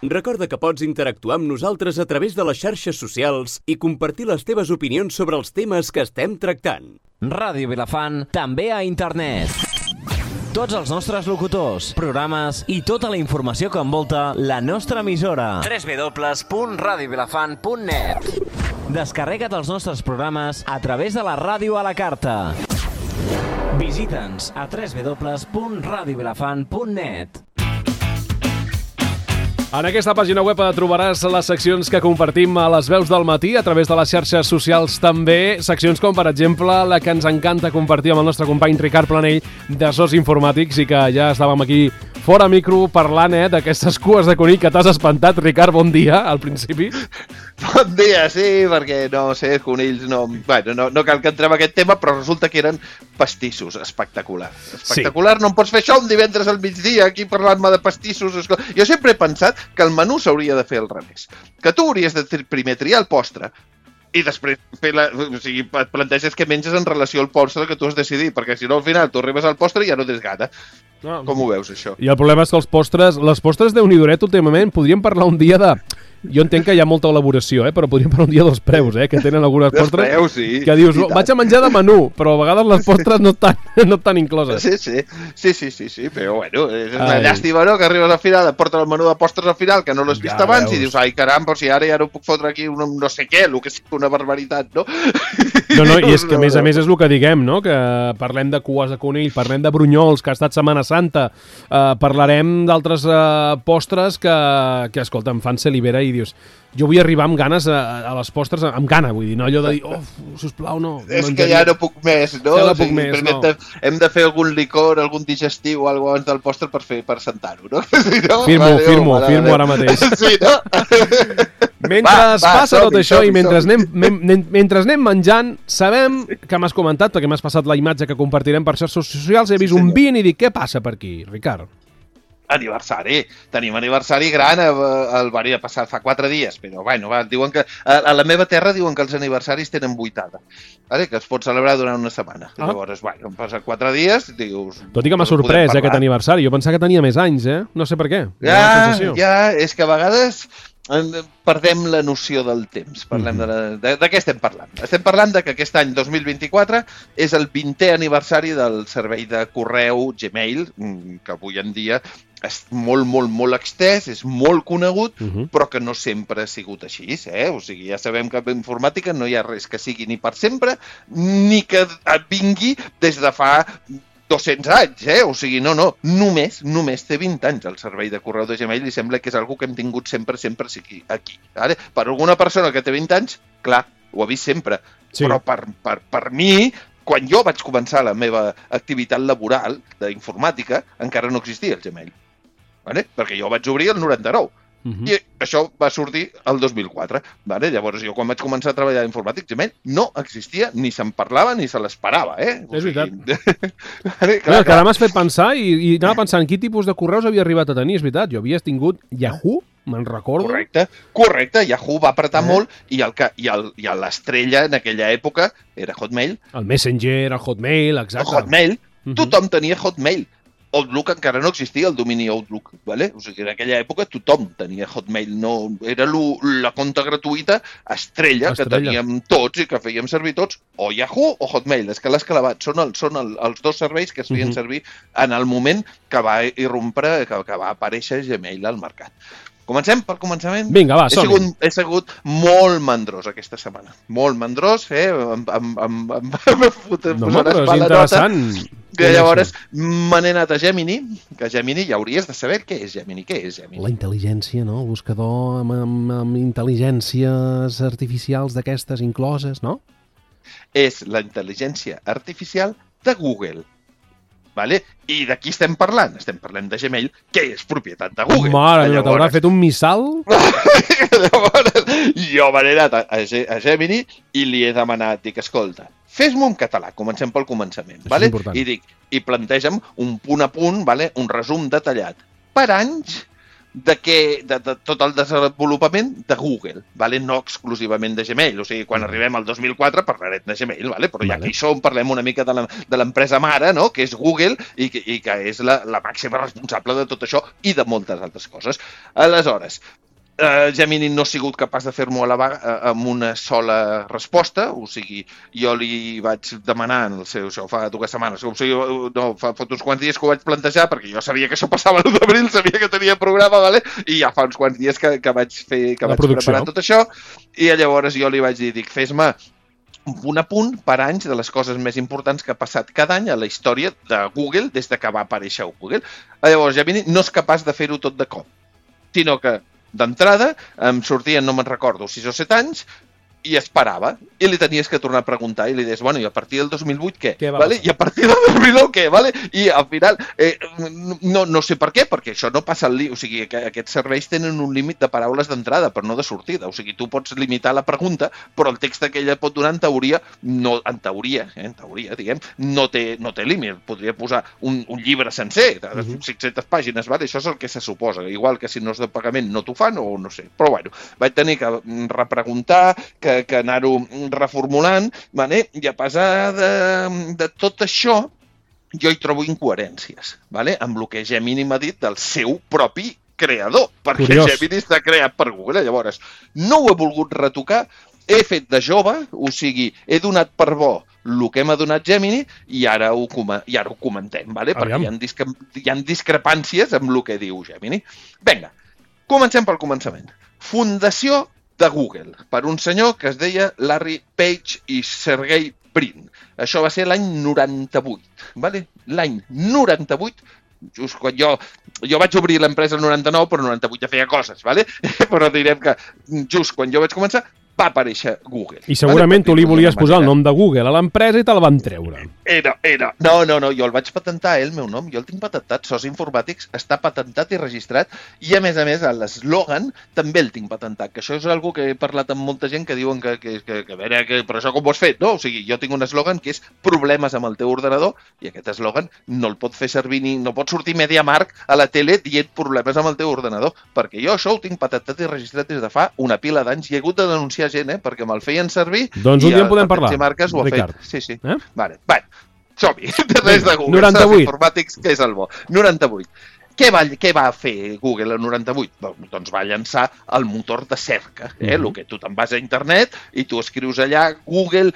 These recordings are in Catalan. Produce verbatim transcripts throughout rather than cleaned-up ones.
Recorda que pots interactuar amb nosaltres a través de les xarxes socials i compartir les teves opinions sobre els temes que estem tractant. Ràdio Vilafant, també a internet. Tots els nostres locutors, programes i tota la informació que envolta la nostra emissora. w w w punt radio vilafant punt net. Descarrega't els nostres programes a través de la ràdio a la carta. Visita'ns a w w w punt radio vilafant punt net. En aquesta pàgina web trobaràs les seccions que compartim a les veus del matí a través de les xarxes socials també, seccions com per exemple la que ens encanta compartir amb el nostre company Ricard Planell de Sos Informàtics i que ja estàvem aquí fora micro parlant eh, d'aquestes cues de conill que t'has espantat. Ricard, bon dia al principi. Bon dia, sí, perquè no sé, conills no... Bueno, no, no cal que entrem en aquest tema, però resulta que eren pastissos, espectacular. Espectacular, sí. No em pots fer això un divendres al migdia aquí parlant-me de pastissos. Jo sempre he pensat que el menú s'hauria de fer al revés. Que tu hauries de primer triar el postre i després fer la, o sigui, et planteges què menges en relació al postre que tu has decidit, perquè si no al final tu arribes al postre i ja no tens gana. No. Com ho veus, això? I el problema és que els postres, les postres Déu-n'hi-do últimament, podríem parlar un dia de... Jo entenc que hi ha molta elaboració, eh? Però podríem parlar un dia dels preus, eh? Que tenen algunes postres preus, sí. Que dius, vaig a menjar de menú, però a vegades les postres no estan, no estan incloses. Sí, sí, sí, sí, sí, sí, però bueno, és una ai. llàstima, no?, que arribes al final, et porten el menú de postres al final, que no l'has vist ja abans, veus. I dius, ai, caram, però si ara ja no puc fotre aquí un, no sé què, el que sigui una barbaritat, no? No, no, i és que a més a més és el que diguem, no?, que parlem de cues de conill, parlem de brunyols, que ha estat Setmana Santa, eh, parlarem d'altres eh, postres que, que, escolta, em fan salivera i dius... Jo vull arribar amb ganes a, a les postres, amb gana, vull dir, no allò de dir, oh, sisplau, no. És que ja no puc més, no? Ja no puc més, no. Hem de, hem de fer algun licor, algun digestiu o alguna cosa abans del postre per fer per sentar-ho, no? Sí, no? Firmo, vale, firmo, vale, firmo vale. Ara mateix. Sí, no? Mentre va, va, passa tot això i mentre anem, men, mentre anem menjant, sabem que m'has comentat, perquè m'has passat la imatge que compartirem per xarxes socials, he vist sí, un vint i dic, què passa per aquí, Ricard? Aniversari, tenim aniversari gran, el va passar fa quatre dies, però bueno, va, diuen que a la meva terra diuen que els aniversaris tenen vuitada, vale? Que es pot celebrar durant una setmana. Ah. Llavors, bueno, han passat quatre dies, dius... Tot i que m'ha sorprès eh, aquest aniversari, jo pensava que tenia més anys, eh? No sé per què. Ja, ja, és que a vegades... perdem la noció del temps. Parlem de, la, de, de què estem parlant? Estem parlant de que aquest any dos mil vint-i-quatre és el vintè aniversari del servei de correu Gmail, que avui en dia és molt, molt, molt extès, és molt conegut, uh-huh. però que no sempre ha sigut així. Eh? O sigui, ja sabem que en informàtica no hi ha res que sigui ni per sempre, ni que vingui des de fa... dos-cents anys, eh? O sigui, no, no, només, només té vint anys el servei de correu de Gmail i sembla que és algo que hem tingut sempre, sempre aquí. Vale? Per alguna persona que té vint anys, clar, ho ha vist sempre, sí. Però per, per, per mi, quan jo vaig començar la meva activitat laboral d'informàtica, encara no existia el Gmail, vale? Perquè jo vaig obrir el noranta-nou. Uh-huh. I això va sortir el dos mil quatre. Vale? Llavors, jo quan vaig començar a treballar d'informàtic, Gmail no existia, ni se'n parlava, ni se l'esperava. Eh? És veritat. vale, clar, no, que ara m'has fet pensar i, i anava pensant quin tipus de correus havia arribat a tenir, és veritat. Jo havia tingut Yahoo, me'n recordo. Correcte, correcte. Yahoo va apretar eh? molt i, el que, i, el, i l'estrella en aquella època era Hotmail. El Messenger, el Hotmail, exacte. El Hotmail. Uh-huh. Tothom tenia Hotmail. Outlook encara no existia, el domini Outlook, ¿vale? O sigui, en aquella època tothom tenia Hotmail, no, era lo, la compta gratuïta estrella, estrella que teníem tots i que fèiem servir tots, o Yahoo o Hotmail, és que l'has clavat, són, el, són el, els dos serveis que es feien uh-huh. servir en el moment que va irrompre, que, que va aparèixer Gmail al mercat. Comencem pel començament? Vinga, va, som-hi. He sigut, he sigut molt mandrós aquesta setmana. Molt mandrós, eh? Em, em, em, em, em fotem, no, però és interessant. Que llavors me n'he anat a Gemini, que Gemini ja hauries de saber què és Gemini. Què és Gemini? La intel·ligència, no? El buscador amb, amb, amb intel·ligències artificials d'aquestes incloses, no? És la intel·ligència artificial de Google. Vale? I de qui estem parlant? Estem parlant de Gmail, que és propietat de Google. Mare meva, t'haurà fet un missal? Llavors, jo m'he anat a, a Gemini i li he demanat, dic, escolta, fes-m'ho en català, comencem pel començament, vale? I dic, i planteja'm un punt a punt, vale? Un resum detallat, per anys, de, que, de, de tot el desenvolupament de Google, vale? No exclusivament de Gmail. O sigui, quan arribem al dos mil quatre parlarem de Gmail, vale? Però ja vale. que hi som, parlem una mica de l'empresa mare, no? Que és Google i que, i que és la, la màxima responsable de tot això i de moltes altres coses. Aleshores, Uh, Gemini no ha sigut capaç de fer-m'ho a la vaga uh, amb una sola resposta, o sigui, jo li vaig demanar en el seu, això fa dues setmanes, o sigui, no, fa, fa uns quants dies que ho vaig plantejar, perquè jo sabia que això passava l'u d'abril, sabia que tenia programa, vale? I ja fa uns quants dies que, que vaig, fer, que vaig preparar tot això, i llavors jo li vaig dir, dic, fes-me un apunt per anys de les coses més importants que ha passat cada any a la història de Google des de que va aparèixer Google. Llavors, Gemini no és capaç de fer-ho tot de cop, sinó que d'entrada, em sortien, no me'n recordo, sis o set anys, i esperava. I li tenies que tornar a preguntar i li deies, bueno, i a partir del dos mil vuit què? què vale? I a partir del dos mil nou què? Vale? I al final, eh, no, no sé per què, perquè això no passa al límit. O sigui, que aquests serveis tenen un límit de paraules d'entrada, però no de sortida. O sigui, tu pots limitar la pregunta, però el text que ella pot donar en teoria, no, en teoria, eh, en teoria, diguem, no té, no té límit. Podria posar un, un llibre sencer, de uh-huh. cinc-centes pàgines, vale? Això és el que se suposa. Igual que si no és de pagament no t'ho fan o no sé. Però bueno, vaig tenir que repreguntar, que que anar-ho reformulant, vale? I a pesar de, de tot això, jo hi trobo incoherències, vale? Amb el que Gemini m'ha dit del seu propi creador, perquè Curiós. Gemini està creat per Google. Llavors, no ho he volgut retocar, he fet de jove, o sigui, he donat per bo el que m'ha donat Gemini i ara ho, i ara ho comentem, vale? Perquè hi ha, discre hi ha discrepàncies amb el que diu Gemini. Vinga, comencem pel començament. Fundació de Google, per un senyor que es deia Larry Page i Sergey Brin. Això va ser l'any noranta-vuit, vale? L'any noranta-vuit, just quan jo, jo vaig obrir l'empresa el noranta-nou, però el noranta-vuit ja feia coses, vale? Però direm que just quan jo vaig començar va aparèixer Google. I segurament vale? Tu li volies posar el nom de Google a l'empresa i te'l van treure. Era, era. No, no, no, jo el vaig patentar, eh, el meu nom, jo el tinc patentat, Sos Informàtics, està patentat i registrat, i a més a més l'eslògan també el tinc patentat, que això és una cosa que he parlat amb molta gent que diuen que, que, que, que a veure, que, però això com ho has fet? No, o sigui, jo tinc un eslògan que és problemes amb el teu ordenador, i aquest eslògan no el pot fer servir ni, no pot sortir MediaMarkt a la tele dient problemes amb el teu ordenador, perquè jo això ho tinc patentat i registrat des de fa una pila d'anys i he hagut de denunciar gent, eh, perquè me'l feien servir. Doncs un dia en podem parlar, Ricard. Sí, sí. Eh? Vale, vale. Som-hi. Res de Google. noranta-vuit. Informàtics, que és el bo. noranta-vuit. Què va, què va fer Google el noranta-vuit? Doncs va llançar el motor de cerca, eh? Mm-hmm. El que tu te'n vas a internet i tu escrius allà google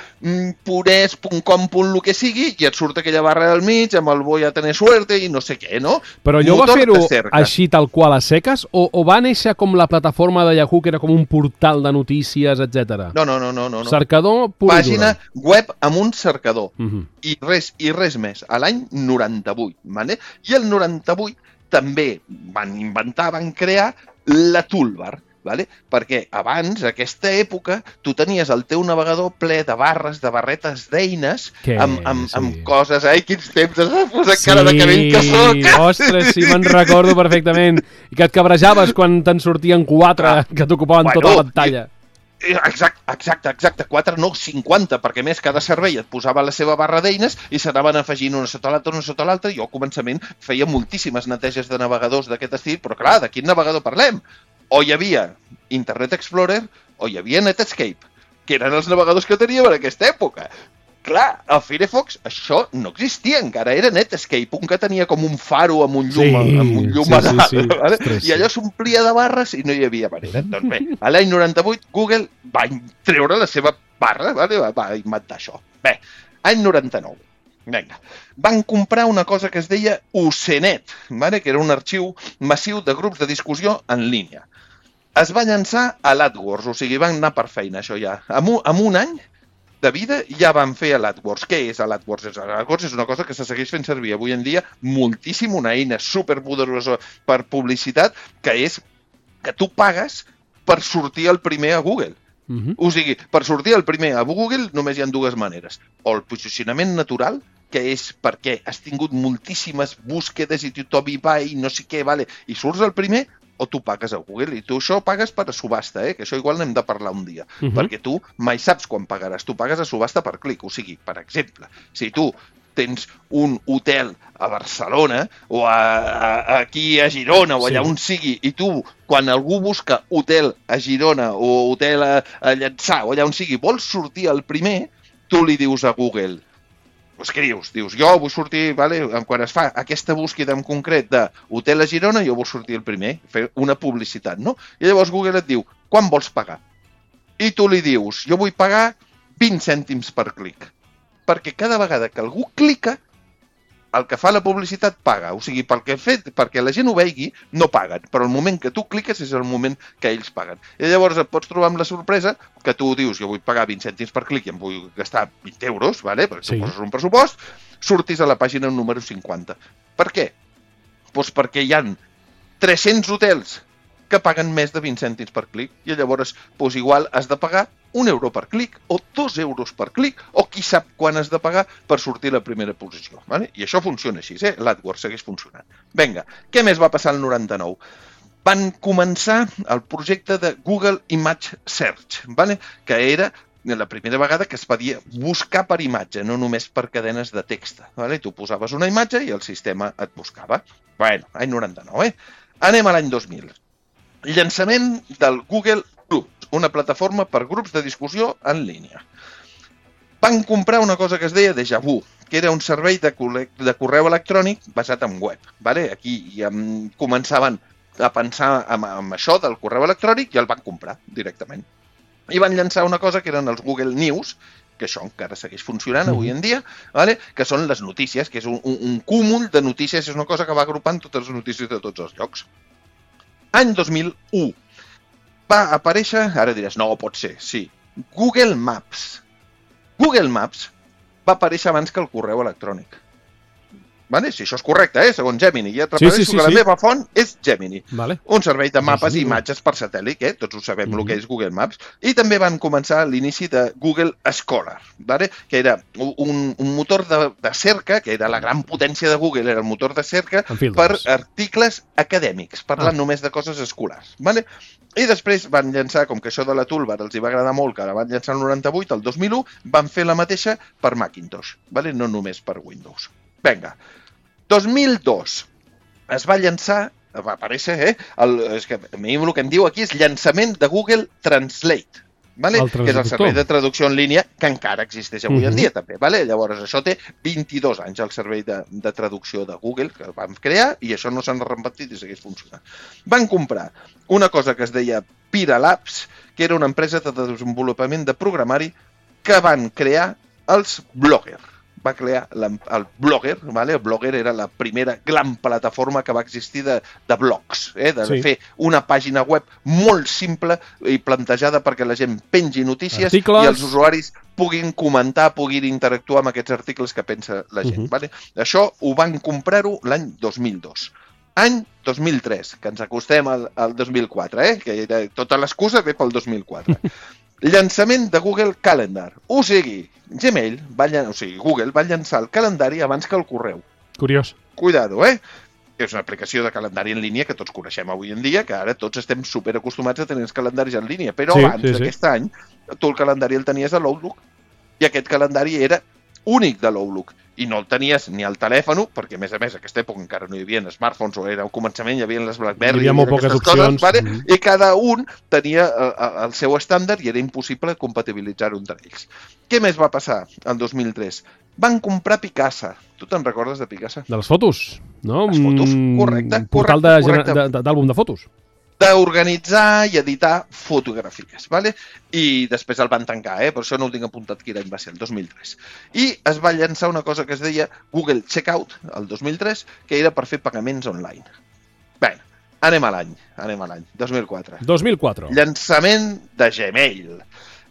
punt es punt com punt el que sigui i et surt aquella barra del mig amb el voy a tener suerte i no sé què, no? Però allò va fer-ho així tal qual a seques o, o va néixer com la plataforma de Yahoo que era com un portal de notícies, etcètera? No, no, no, no, no. Cercador pur i Pàgina dura. Web amb un cercador. Mm-hmm. I res, i res més. A l'any noranta-vuit, vale? I el noranta-vuit també van inventar, van crear la toolbar, vale? Perquè abans, a aquesta època, tu tenies el teu navegador ple de barres, de barretes d'eines, amb, amb, sí. amb coses, ai, quins temps has posat sí. cara de cabell que soc! Ostres, sí, me'n recordo perfectament. I que et cabrejaves quan te'n sortien quatre ah, que t'ocupaven bueno, tota la pantalla. I... Exacte, exacte, exacte, quatre no, cinquanta, perquè més cada servei et posava la seva barra d'eines i s'anaven afegint una sota l'altra, una sota l'altra. Jo al començament feia moltíssimes neteges de navegadors d'aquest estil, però clar, de quin navegador parlem? O hi havia Internet Explorer o hi havia Netscape, que eren els navegadors que teníem en aquesta època. Clar, a Firefox això no existia encara, era Netscape, un que tenia com un faro amb un llum, sí, amb un llum sí, sí, sí. Vale? Ostres, i allò s'omplia de barres i no hi havia manera. Doncs bé, a l'any noranta-vuit Google va treure la seva barra, vale? va, va inventar això. Bé, any noranta-nou, vinga, van comprar una cosa que es deia Usenet, vale? Que era un arxiu massiu de grups de discussió en línia. Es va llançar a l'AdWords, o sigui, van anar per feina això ja. Amb un, amb un any de vida ja van fer l'AdWords. Què és l'AdWords? L'AdWords és una cosa que se segueix fent servir avui en dia moltíssim, una eina superpoderosa per publicitat, que és que tu pagues per sortir el primer a Google. Uh-huh. O sigui, per sortir el primer a Google només hi ha dues maneres. O el posicionament natural, que és perquè has tingut moltíssimes búsquedes i tothom hi va i no sé què, vale, i surts el primer, o tu pagues a Google, i tu això pagues per a subhasta, eh? Que això igual n'hem de parlar un dia, uh-huh. perquè tu mai saps quan pagaràs, tu pagues a subhasta per clic, o sigui, per exemple, si tu tens un hotel a Barcelona o a, a, aquí a Girona o allà sí. on sigui, i tu, quan algú busca hotel a Girona o hotel a, a Llançà o allà on sigui, vols sortir el primer, tu li dius a Google, pues què dius? Dius, jo vull sortir, vale? Quan es fa aquesta búsqueda en concret d'hotel a Girona, jo vull sortir el primer, fer una publicitat, no? I llavors Google et diu, quan vols pagar? I tu li dius, jo vull pagar vint cèntims per clic. Perquè cada vegada que algú clica, el que fa la publicitat paga. O sigui, perquè, fet, perquè la gent ho vegi, no paguen. Però el moment que tu cliques és el moment que ells paguen. I llavors et pots trobar amb la sorpresa que tu dius, jo vull pagar vint cèntims per clic i em vull gastar vint euros, vale? Perquè sí. Tu poses un pressupost, surtis a la pàgina número cinquanta. Per què? Doncs perquè hi ha tres-cents hotels que paguen més de vint cèntims per clic i llavors doncs, igual has de pagar un euro per clic o dos euros per clic o qui sap quan has de pagar per sortir a la primera posició. Vale? I això funciona així, eh? L'AdWords segueix funcionant. Vinga, què més va passar al noranta-nou? Van començar el projecte de Google Image Search, vale? Que era la primera vegada que es podia buscar per imatge, no només per cadenes de text. Vale? Tu posaves una imatge i el sistema et buscava. Bueno, any noranta-nou, eh? Anem a l'any dos mil. Llançament del Google Groups, una plataforma per grups de discussió en línia. Van comprar una cosa que es deia Deja Vu, que era un servei de, de correu electrònic basat en web. Vale? Aquí ja començaven a pensar en, en això del correu electrònic i el van comprar directament. I van llançar una cosa que eren els Google News, que això encara segueix funcionant avui en dia, vale? Que són les notícies, que és un, un, un cúmul de notícies, és una cosa que va agrupant totes les notícies de tots els llocs. Any dos mil u va aparèixer, ara diràs, no, pot ser, sí, Google Maps. Google Maps va aparèixer abans que el correu electrònic. Vale? Si això és correcte, eh? Segons Gemini. Ja et repeteixo sí, sí, sí, que la sí. meva font és Gemini. Vale. Un servei de mapes i imatges per satèl·lit, eh? Tots ho sabem, mm-hmm. el que és Google Maps. I també van començar l'inici de Google Scholar, vale? Que era un, un motor de, de cerca, que era la gran potència de Google, era el motor de cerca per articles acadèmics, parlant ah. només de coses escolars. Vale? I després van llançar, com que això de la toolbar els hi va agradar molt, que la van llançar el noranta-vuit, el dos mil u, van fer la mateixa per Macintosh, vale? No només per Windows. Vinga, dos mil dos es va llançar, va aparèixer, eh? El, és que a mi el que em diu aquí és llançament de Google Translate, vale? Que és el servei de traducció en línia que encara existeix avui uh-huh. en dia també. Vale? Llavors això té vint-i-dos anys, el servei de, de traducció de Google que el van crear i això no s'han repetit i segueix funcionant. Van comprar una cosa que es deia Pira Labs, que era una empresa de desenvolupament de programari que van crear els Blogger. Va crear la, el Blogger, vale? El Blogger era la primera gran plataforma que va existir de, de blogs, eh? de sí. fer una pàgina web molt simple i plantejada perquè la gent pengi notícies articles. I els usuaris puguin comentar, puguin interactuar amb aquests articles que pensa la gent. Uh-huh. Vale? Això ho van comprar-ho l'any dos mil dos. Any dos mil tres, que ens acostem al, al dos mil quatre, eh? Que era, tota l'excusa ve pel dos mil quatre. Llançament de Google Calendar. O sigui, Gmail, va llan... o sigui, Google va llançar el calendari abans que el correu. Curiós. Cuidado, eh? És una aplicació de calendari en línia que tots coneixem avui en dia, que ara tots estem superacostumats a tenir els calendaris en línia, però sí, abans sí, d'aquest sí. any, tu el calendari el tenies a l'Outlook, i aquest calendari era únic de l'Outlook, i no el tenies ni al telèfon, perquè a més a més a aquesta època encara no hi havia smartphones, o era al començament, hi havia les BlackBerry, hi havia molt poques opcions, coses, vale? mm. i cada un tenia el, el seu estàndard i era impossible compatibilitzar-ho entre ells. Què més va passar el dos mil tres? Van comprar Picasa. Tu te'n recordes de Picasa? De les fotos, no? Les fotos, correcte. Un portal d'àlbum de, de fotos. D'organitzar i editar fotografies, vale? I després el van tancar, eh? Per això no ho tinc apuntat quin any va ser, el dos mil tres. I es va llançar una cosa que es deia Google Checkout, el dos mil tres, que era per fer pagaments online. Bé, anem a l'any, anem a l'any, dos mil quatre. dos mil quatre. Llançament de Gmail,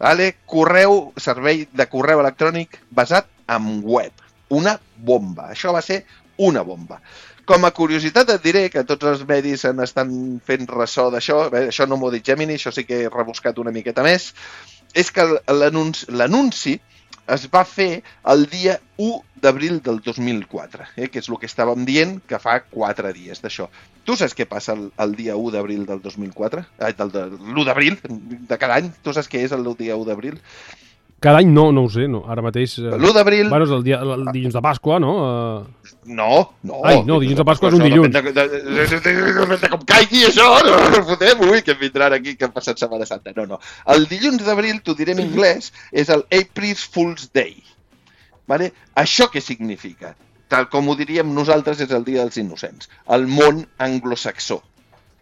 vale? Correu, servei de correu electrònic basat en web. Una bomba, això va ser una bomba. Com a curiositat et diré que tots els medis en estan fent ressò d'això, bé, això no m'ho ha dit Gemini, això sí que he rebuscat una miqueta més, és que l'anunci es va fer el dia u d'abril del dos mil quatre, eh, que és el que estàvem dient que fa quatre dies d'això. Tu saps què passa el, el dia u d'abril del dos mil quatre? Eh, del, de, l'u d'abril de cada any? Tu saps què és el dia u d'abril? Cada any no, no ho sé, no. Ara mateix... L'u d'abril... Bueno, és el, dia, el dilluns de Pasqua, no? Uh... No, no. Ai, no, dilluns de Pasqua és un dilluns. Depèn de com caigui això, no fotem, ui, que em vindran aquí, que han passat Setmana Santa. No, no. El dilluns d'abril, t'ho diré en anglès, és el April Fool's Day. Vale? Això què significa? Tal com ho diríem nosaltres, és el Dia dels Innocents. El món anglosaxó.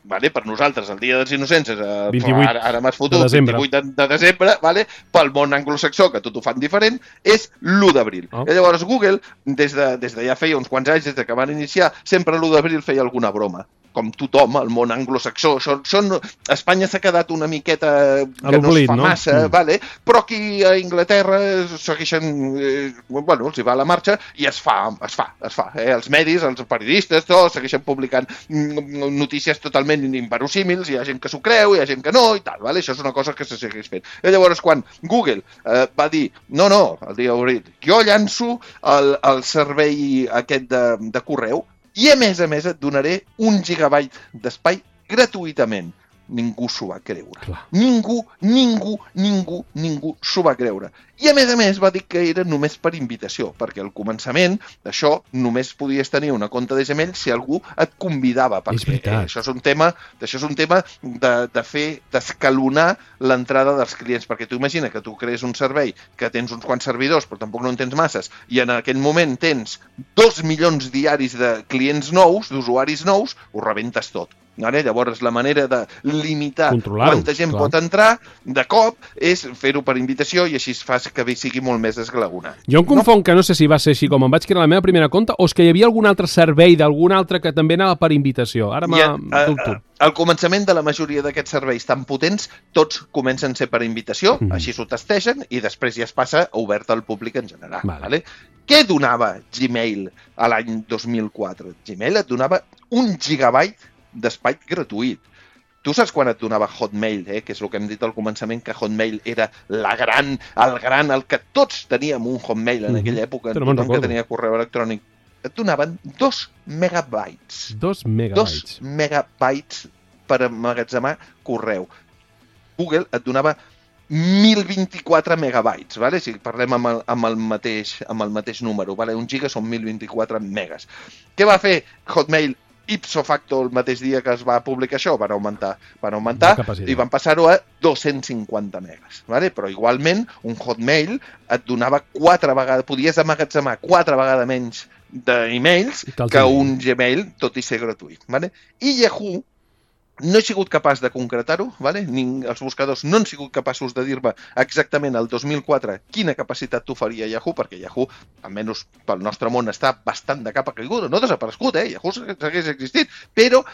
Vale? Per nosaltres el Dia dels Innocents és el, vint-i-vuit ara, ara m'has fotut, de desembre. vint-i-vuit de, de desembre, vale? Pel món anglosaxó, que tot ho fan diferent, és l'u d'abril. Oh. I llavors Google, des de, des de ja feia uns quants anys, des de que van iniciar, sempre l'u d'abril feia alguna broma. Com tothom, el món anglosaxó. Són, són... Espanya s'ha quedat una miqueta que no es fa no? massa, mm. vale? Però aquí a Inglaterra segueixen... Eh, bueno, els hi va la marxa i es fa, es fa, es fa. Eh? Els medis, els periodistes, tots segueixen publicant notícies totalment inverosímils, hi ha gent que s'ho creu, hi ha gent que no, i tal, vale? Això és una cosa que se segueix fent. I llavors, quan Google eh, va dir, no, no, el dia d'abril, jo llanço el, el servei aquest de, de correu, i a més a més et donaré un gigabyte d'espai gratuïtament. Ningú s'ho va creure. Clar. Ningú, ningú, ningú, ningú s'ho va creure. I a més a més va dir que era només per invitació, perquè al començament d'això només podies tenir una compte de Gmail si algú et convidava. Perquè eh, això és un tema, això és un tema de, de fer, d'escalonar l'entrada dels clients, perquè tu imagina que tu crees un servei que tens uns quants servidors, però tampoc no en tens masses, i en aquell moment tens dos milions diaris de clients nous, d'usuaris nous, ho rebentes tot. Vale? Llavors, la manera de limitar quanta gent clar. pot entrar de cop és fer-ho per invitació i així fas que sigui molt més esglaonat. Jo em confon no? que no sé si va ser així com em vaig crear la meva primera compte o és que hi havia algun altre servei d'algun altre que també anava per invitació. Ara m'ha dubto. Al començament de la majoria d'aquests serveis tan potents, tots comencen a ser per invitació, mm. així s'ho testegen i després ja es passa obert al públic en general. Vale. Vale? Què donava Gmail a l'any dos mil quatre? Gmail et donava un gigabyte d'espai gratuït. Tu saps quan et donava Hotmail, eh? Que és el que hem dit al començament, que Hotmail era la gran, el gran, el que tots teníem un Hotmail en aquella època, no tothom que tenia correu electrònic. Et donaven dos megabytes. Dos megabytes. Dos megabytes per emmagatzemar correu. Google et donava mil vint-i-quatre megabytes, vale? Si parlem amb el, amb el, mateix, amb el mateix número, vale? Un giga són mil vint-i-quatre megas. Què va fer Hotmail ipso facto el mateix dia que es va publicar això? Van augmentar, van augmentar i van passar-ho a dos-cents cinquanta megas, vale? Però igualment un Hotmail et donava quatre vegades, podies emmagatzemar quatre vegades menys d'emails que un Gmail, tot i ser gratuït, vale? I Yahoo no he sigut capaç de concretar-ho, vale? Ning, els buscadors no han sigut capaços de dir-me exactament el dos mil quatre quina capacitat t'oferia Yahoo, perquè Yahoo, almenys pel nostre món, està bastant de capa caiguda, no ha desaparegut, eh? Yahoo segueix existint, però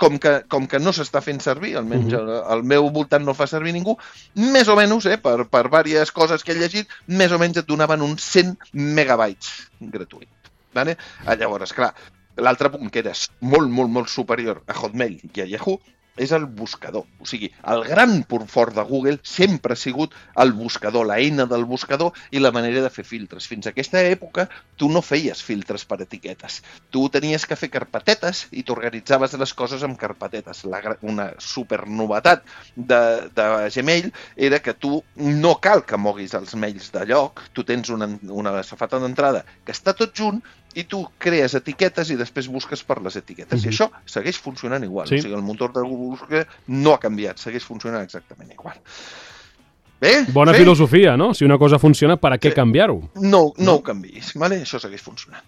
com que, com que no s'està fent servir, almenys uh-huh. al meu voltant no fa servir ningú, més o menys, eh, per, per diverses coses que he llegit, més o menys et donaven uns cent megabytes gratuït. Vale? Llavors, clar, l'altre punt que era molt, molt, molt superior a Hotmail i a Yahoo és el buscador. O sigui, el gran punt fort de Google sempre ha sigut el buscador, la eina del buscador i la manera de fer filtres. Fins a aquesta època tu no feies filtres per etiquetes. Tu tenies que fer carpetetes i t'organitzaves les coses amb carpetetes. La, una supernovetat de, de Gmail era que tu no cal que moguis els mails de lloc, tu tens una, una safata d'entrada que està tot junt i tu crees etiquetes i després busques per les etiquetes. Mm-hmm. I això segueix funcionant igual. Sí. O sigui, el motor de Google no ha canviat, segueix funcionant exactament igual. Bé? Bona sí? filosofia, no? Si una cosa funciona, per a què canviar-ho? No, no, no ho canviïs, vale? Això segueix funcionant.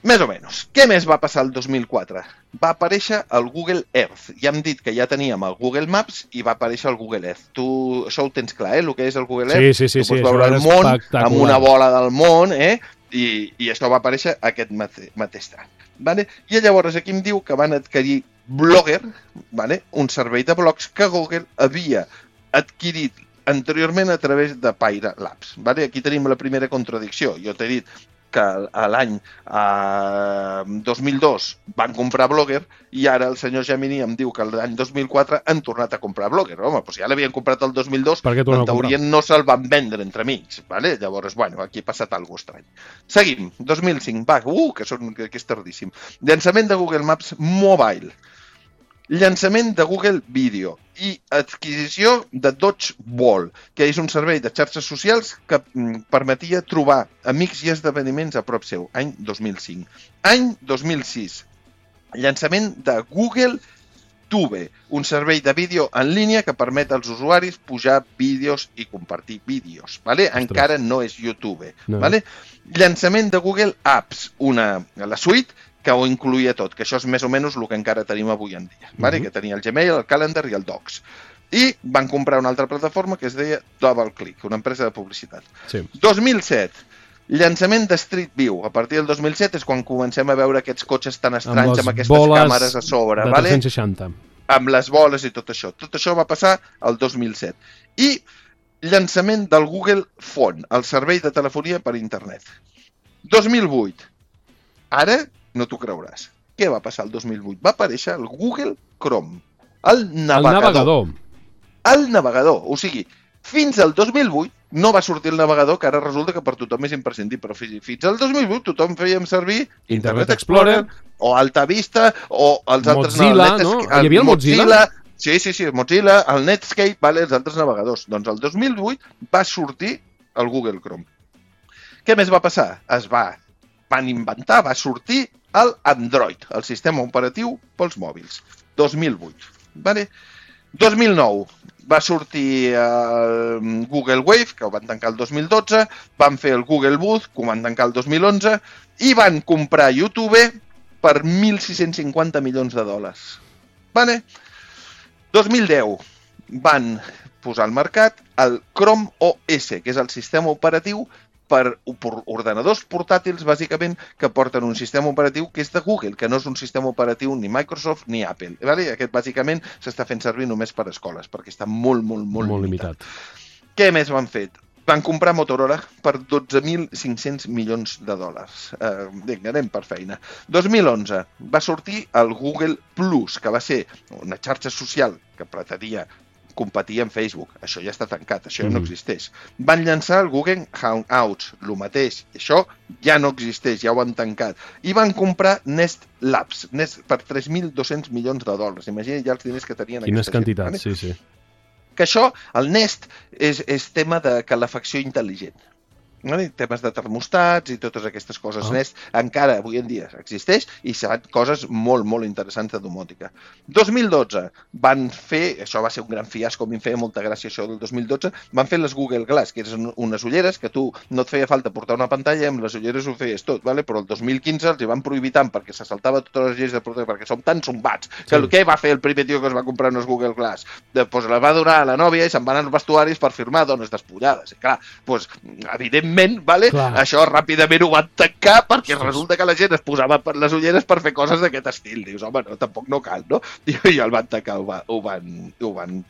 Més o menys. Què més va passar el dos mil quatre? Va aparèixer el Google Earth. Ja hem dit que ja teníem el Google Maps i va aparèixer el Google Earth. Tu això ho tens clar, eh? El que és el Google Earth. Sí, sí, sí. Tu pots sí, veure el món amb una bola del món, eh? I, i això va aparèixer aquest mate, mateix any. Vale? I llavors aquí em diu que van adquirir Blogger, vale? Un servei de blogs que Google havia adquirit anteriorment a través de Pyra Labs. Vale? Aquí tenim la primera contradicció. Jo t'he dit que a l'any eh, dos mil dos van comprar Blogger i ara el senyor Gemini em diu que l'any dos mil quatre han tornat a comprar Blogger. Home, doncs ja l'havien comprat el dos mil dos, en teoria no se'l van vendre entre amics. Vale? Llavors, bueno, aquí ha passat alguna cosa estrany. Seguim, dos mil cinc, va, uh, que, són, que, que és tardíssim. Llançament de Google Maps Mobile. Llançament de Google Video i adquisició de Dodgeball, que és un servei de xarxes socials que mm, permetia trobar amics i esdeveniments a prop seu, any dos mil cinc. Any dos mil sis, llançament de Google Tube, un servei de vídeo en línia que permet als usuaris pujar vídeos i compartir vídeos. Vale? Encara no és YouTube. No. Vale? Llançament de Google Apps, una, la suite que ho incluïa tot, que això és més o menys el que encara tenim avui en dia. Vale? Uh-huh. Que tenia el Gmail, el Calendar i el Docs. I van comprar una altra plataforma que es deia DoubleClick, una empresa de publicitat. Sí. dos mil set, llançament de Street View. A partir del dos mil set és quan comencem a veure aquests cotxes tan estranys amb, amb aquestes càmeres a sobre. De vale? tres-cents seixanta. Amb les boles i tot això. Tot això va passar el dos mil set. I llançament del Google Phone, el servei de telefonia per internet. dos mil vuit. Ara no t'ho creuràs. Què va passar el dos mil vuit? Va aparèixer el Google Chrome, el navegador. El navegador. El navegador. O sigui, fins al dos mil vuit no va sortir el navegador, que ara resulta que per tothom és imprescindible, però fins al dos mil vuit tothom fèiem servir Internet Explorer o Alta Vista o els altres... Mozilla, no? Hi havia el Mozilla? Mozilla? Sí, sí, sí, Mozilla, el Netscape, vale, els altres navegadors. Doncs el dos mil vuit va sortir el Google Chrome. Què més va passar? Es va, van inventar, va sortir el Android, el sistema operatiu pels mòbils. dos mil vuit. Vale? dos mil nou va sortir el Google Wave, que ho van tancar el dos mil dotze, van fer el Google Booth, que ho van tancar el dos mil onze, i van comprar YouTube per mil sis-cents cinquanta milions de dòlars. Vale? dos mil deu van posar al mercat el Chrome O S, que és el sistema operatiu per ordenadors portàtils, bàsicament, que porten un sistema operatiu que és de Google, que no és un sistema operatiu ni Microsoft ni Apple. Vale? Aquest, bàsicament, s'està fent servir només per escoles, perquè està molt, molt, molt, Molt limitat. limitat. Què més van fet? Van comprar Motorola per dotze mil cinc-cents milions de dòlars. Eh, vinga, anem per feina. dos mil onze va sortir el Google Plus, que va ser una xarxa social que pretenia competir amb Facebook. Això ja està tancat, això ja no existeix. Van llançar el Google Hangouts, el mateix. Això ja no existeix, ja ho han tancat. I van comprar Nest Labs, Nest per tres mil dos-cents milions de dòlars. Imagina't ja els diners que tenien Quines aquesta gent. quantitats, sí, sí. Que això, el Nest, és, és tema de calefacció intel·ligent. Vale? Temes de termostats i totes aquestes coses. Ah. Nest encara avui en dia existeix i seran coses molt, molt interessants de domòtica. dos mil dotze van fer, això va ser un gran fiasco, a mi em feia molta gràcia això del dos mil dotze, van fer les Google Glass, que eren unes ulleres que tu no et feia falta portar una pantalla i amb les ulleres ho feies tot, vale? Però el dos mil quinze els hi van prohibir tant perquè se saltava totes les lleis de protecció, perquè som tan zombats, que sí. Què va fer el primer tio que es va comprar unes Google Glass? Doncs les va donar a la nòvia i se'n van als vestuaris per firmar dones despullades. I clar, doncs, evidentment, Vale? Això ràpidament ho van tancar perquè resulta que la gent es posava per les ulleres per fer coses d'aquest estil. Dius, home, no, tampoc no cal, no? I ja el van tancar, ho, va, ho van, ho van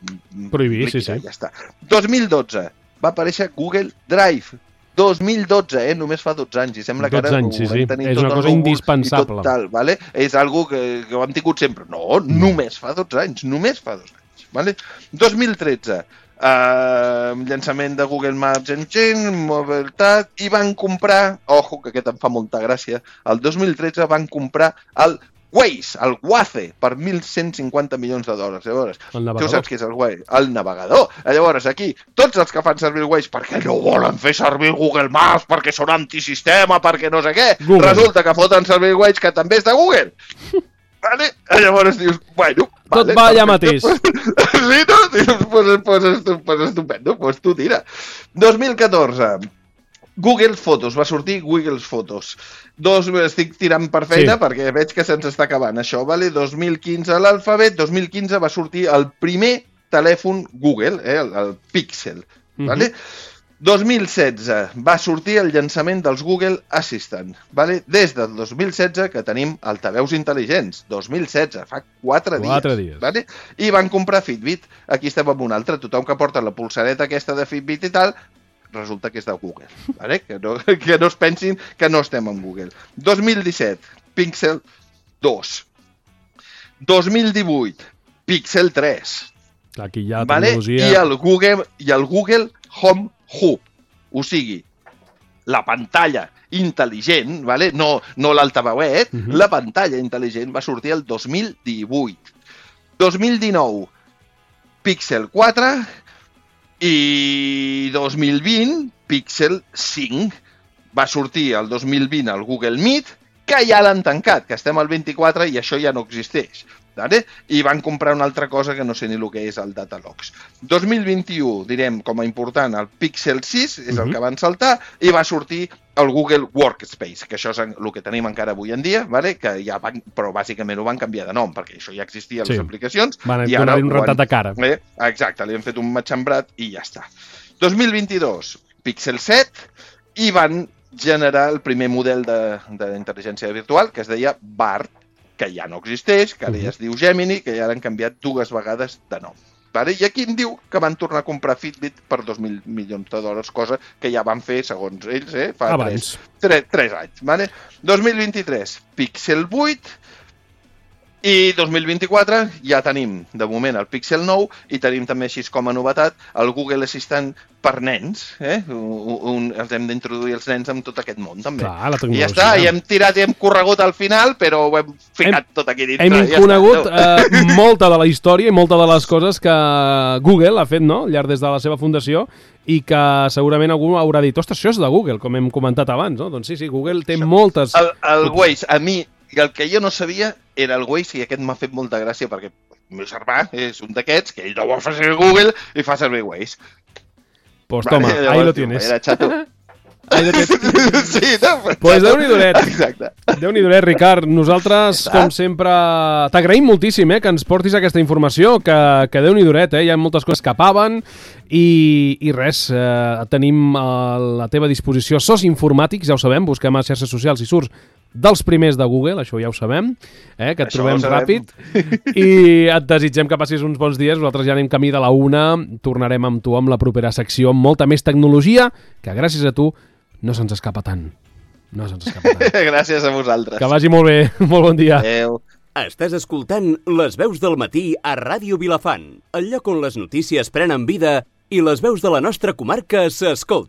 prohibir, sí, sí. Ja està. dos mil dotze va aparèixer Google Drive. dos mil dotze, eh? Només fa dotze anys. I sembla que ara anys, sí, ho vam tenir sí. És tot una cosa indispensable. Tal, vale? És algo que, que ho hem tingut sempre. No, només fa dotze anys. Només fa dotze anys. Vale? dos mil tretze. Uh, llançament de Google Maps Engine, mobilitat, i van comprar, ojo, que aquest em fa molta gràcia, el dos mil tretze van comprar el Waze, el Waze, per mil cent cinquanta milions de dòlars. Llavors, tu saps què és el Waze? El navegador. Llavors, aquí, tots els que fan servir el Waze perquè no volen fer servir el Google Maps, perquè són antisistema, perquè no sé què, Google. Resulta que foten servir el Waze, que també és de Google. Vale? Llavors dius, bueno... Tot vale, va allà mateix. Sí, no? Dius, pues, pues, pues estupendo, pues tu tira. dos mil catorze, Google Fotos, va sortir Google Fotos. Dos, estic tirant per feina sí. Perquè veig que se'ns està acabant això, vale? dos mil quinze l'alfabet, dos mil quinze va sortir el primer telèfon Google, eh? el, el Pixel, uh-huh. Vale? dos mil setze va sortir el llançament dels Google Assistant. Vale? Des del dos mil setze que tenim altaveus intel·ligents. dos mil setze, fa quatre dies. quatre dies. Vale? I van comprar Fitbit. Aquí estem amb un altre. Tothom que porta la pulsareta aquesta de Fitbit i tal, resulta que és de Google. Vale? Que, no, que no es pensin que no estem amb Google. dos mil disset, Pixel dos. dos mil divuit, Pixel tres. Aquí hi ha vale? tecnologia... I el Google, i el Google Home Hub, o sigui, la pantalla intel·ligent, vale? no, no l'altaveuet, uh-huh. La pantalla intel·ligent va sortir el dos mil divuit. dos mil dinou, Pixel quatre i dos mil vint, Pixel cinc. Va sortir el dos mil vint el Google Meet, que ja l'han tancat, que estem al vint-i-quatre i això ja no existeix. Vale? I van comprar una altra cosa que no sé ni el que és el Datalogs. dos mil vint-i-u, direm, com a important, el Pixel sis és el que van saltar i va sortir el Google Workspace, que això és el que tenim encara avui en dia, vale? Que ja van, però bàsicament ho van canviar de nom, perquè això ja existia a les Sí. aplicacions. Van i ara donar-li un ho han- rentat de cara. Eh? Exacte, li han fet un matxembrat i ja està. dos mil vint-i-dos, Pixel set, i van generar el primer model d'intel·ligència virtual, que es deia Bard, que ja no existeix, que ara ja es diu Gemini, que ja l'han canviat dues vegades de nom. Vale? I aquí em diu que van tornar a comprar Fitbit per dos mil milions de dòlars, cosa que ja van fer, segons ells, eh, fa Abans. tres, tres, tres anys. Vale? dos mil vint-i-tres, Pixel vuit, i dos mil vint-i-quatre ja tenim, de moment, el Pixel nou i tenim també, així com a novetat, el Google Assistant per nens. Eh? Un, un, els hem d'introduir els nens amb tot aquest món, també. Clar, la I tecnologia. ja està, i hem tirat i hem corregut al final, però ho hem ficat Hem- tot aquí dintre. Hem ja conegut està. eh, molta de la història i molta de les coses que Google ha fet, no?, al llarg des de la seva fundació, i que segurament algú haurà dit, ostres, això és de Google, com hem comentat abans, no? Doncs sí, sí, Google té Això. moltes... El, el Waze, a mi, el que jo no sabia era el Waze, i aquest m'ha fet molta gràcia perquè el meu germà és un d'aquests que ell no vol fer servir Google i fa servir Waze. Pues toma, Vale, ahí llavors lo diu, tienes. Era xato. Ahí lo tienes. Sí, no? Pues Déu-n'hi-do-net. Exacte. Déu-n'hi-do-net, Ricard. Nosaltres, com sempre, t'agraïm moltíssim eh, que ens portis aquesta informació, que, que Déu-n'hi-do-net, eh? Hi ha moltes coses que escapaven i, i res, eh, tenim a la teva disposició Sos Informàtics, ja ho sabem, busquem a xarxes socials i surts dels primers de Google, això ja ho sabem, eh, que et Això trobem ho sabem. ràpid, i et desitgem que passis uns bons dies. Nosaltres ja anem camí de la una, tornarem amb tu amb la propera secció amb molta més tecnologia, que gràcies a tu no se'ns escapa tant. No se'ns escapa tant. Gràcies a vosaltres. Que vagi molt bé. Molt bon dia. Adéu. Estàs escoltant Les veus del matí a Ràdio Vilafant, el lloc on les notícies prenen vida i les veus de la nostra comarca s'escolten.